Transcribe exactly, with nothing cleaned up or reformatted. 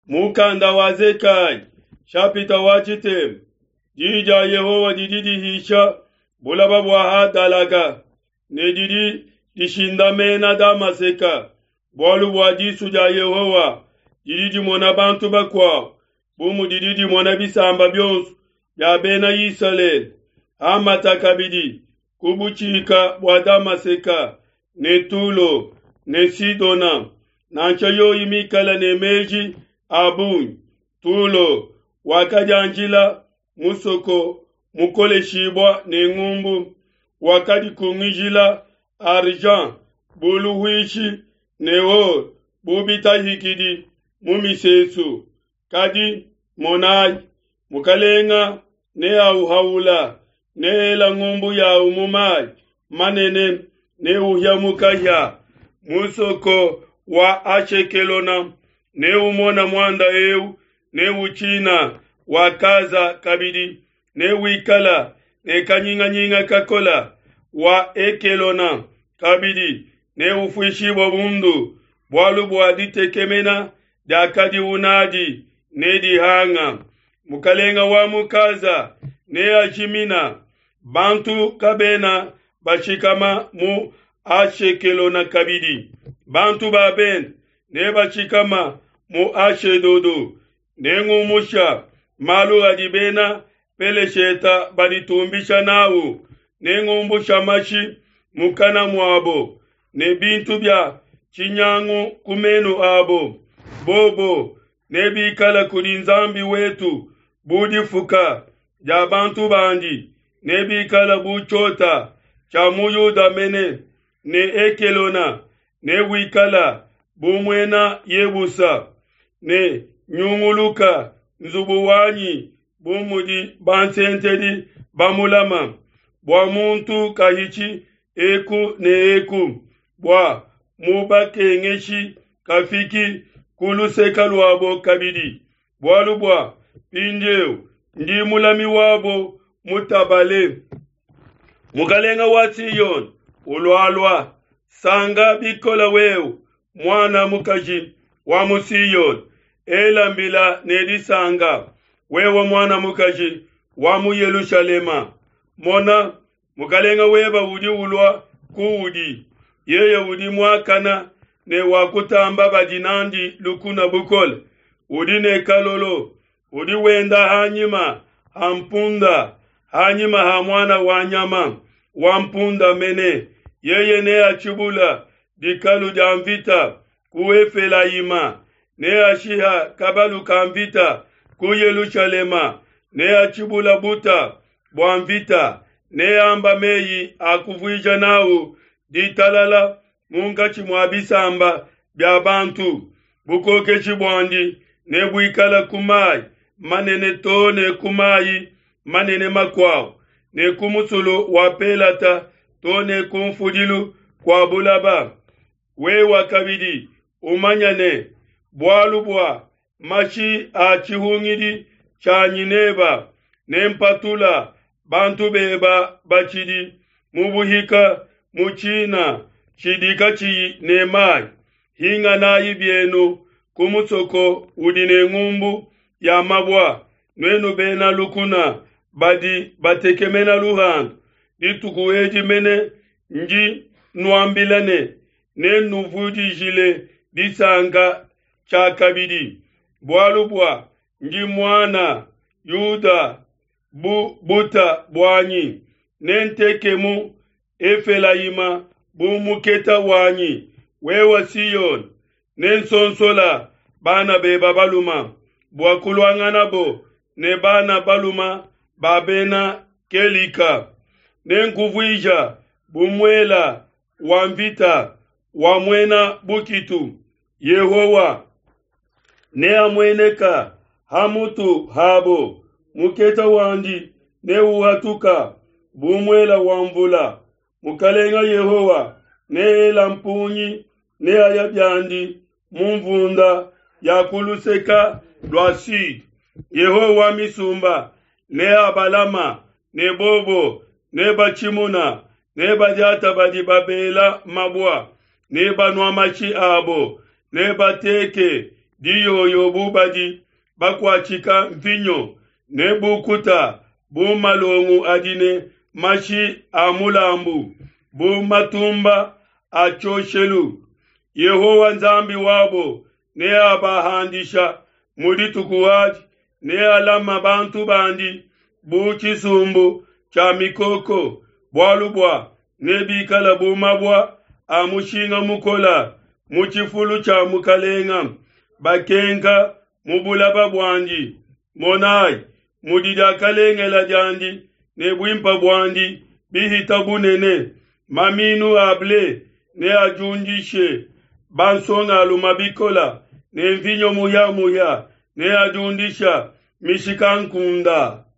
Mukanda wa Zekaya shapita wa tshitema diyi dia Yehowa didi dihisha bulaba bua Hadalaka ne didi dishindamena Damaseka, bualu bua disu dia Yehowa didi dimona bantu bakuabo bu mudidi dimona bisamba bionso bia Bena Isalele. Hamata kabidi ku butshika bua Damaseka ne Tulo ne Sidona, nansha yoyi mikale ne meji a bungi. Tulo wakadianjila musoko mukoleshibua ne ngumbu, wakadikungijila argent bu luhuishi ne or bu bitahikidi mu misesu. Kadi monai, mukalenga neauhaula, neela ngumbu yau mu mai manene, neuhia mu kahia. Musoko wa Ashekelona neumona muanda eu, neutshina wa Kaza kabidi newikala ne kanyinganyinga kakola. Wa Ekelona kabidi neufuishibua bundu, bualu bua ditekemena diakadiu nadi nedihanga. Mukalenga wa mu Kaza neajimina, bantu kabena bashikama mu Ashekelona kabidi. Bantu ba bende nebashikama mu Ashedodo. Nengumusha malu adi bena Pelesheta baditumbisha nawu, nengumbusha mashi mukana muabo ne bintu bia tshinyangu ku menu abo. Bobo nebikala kudi Nzambi wetu bu difuka dia bantu bandi, nebikala bu tshiota tshia mu Yuda mene, ne Ekelona newikala bu muena Yebusa. Ne nyunguluka nzubu wanyi bu mudi bansentedi bamulama, bua muntu kahitshi eku ne eku, bua mubakengeshi kafiki ku luseke luabo kabidi. Bualu bua mpindieu ndi mulami wabo mutabale. Mukalenga wa Siyone ulualua, sanga bikola wewe muana mukaji wa mu Siyone, ela mbila ne disanga, wewe muana mukaji wa mu Yelushalema. Mona, mukalenga weba udi ulua kuudi, yeye udi muakana ne wakutamba badi nandi lukuna bukole, udi ne kalolo, udi wenda hanyima ha mpunda, hanyima ha muana wa nyama wa mpunda mene. Yeye neatshibula dikalu dia mvita ku Efelayima, neashiha kabalu ka mvita ku Yelushalema, neatshibula buta bua mvita, neamba meyi a kuvuija nawu ditalala munkatshi mua bisamba bia bantu. Bukokeshi buandi nebuikala ku mai manene to ne ku mai manene makuabo, ne ku musulu wa Pelata to ne ku mfudilu kua bulaba. Wewa kabidi umanya ne, bualu bua mashi a tshihungidi tshianyi neba, nempatula bantu beba batshidi mu buhika mu tshina tshidi katshiyi ne mai. Hinganayi bienu ku musoko udi ne ngumbu ya mabua, nuenu bena lukuna badi batekemena luhandu. Dituku edi mene ndi nuambila ne, nennuvudijile disanka tshiakabidi, bualu bua ndi muana Yuda bu buta buanyi, nentekemu Efelayima bu muketa wanyi. Wewe Siyone, nensonsola bana beba baluma bua kuluanganabo ne bana baluma ba bena Kelika. Nenkuvuija bu muela wa mvita wa muena bukitu. Yehowa neamueneka ha mutu habo, muketa wandi neuhatuka bu muela wa mvula. Mukalenga Yehowa neela mpungi, neaya biandi mu mvunda ya ku luseka lua sud. Yehowa wa misumba neabalama ne bobo nebatshimuna, nebadiata badi babela mabua, nebanua mashi abo, nebateke diyoyo bu badi bakuatshika mvinyo, ne bukuta bu malongo adi ne mashi a mulambu, bu matumba a tshioshelu. Yehowa Nzambi wabo neabahandisha mu dituku adi, nealama bantu bandi bu tshisumbu tshia mikoko, bualu bua nebikala bu mabua a mushinga mukola mu tshifulu tshia mukalenga, bakenka mu bulaba buandi. Monai mudi diakalengela diandi ne buimpe buandi bihita bunene. Maminu a ble neadiundishe bansongalume bikola, ne mvinyo muhia-muhia neadiundisha mishikankunde.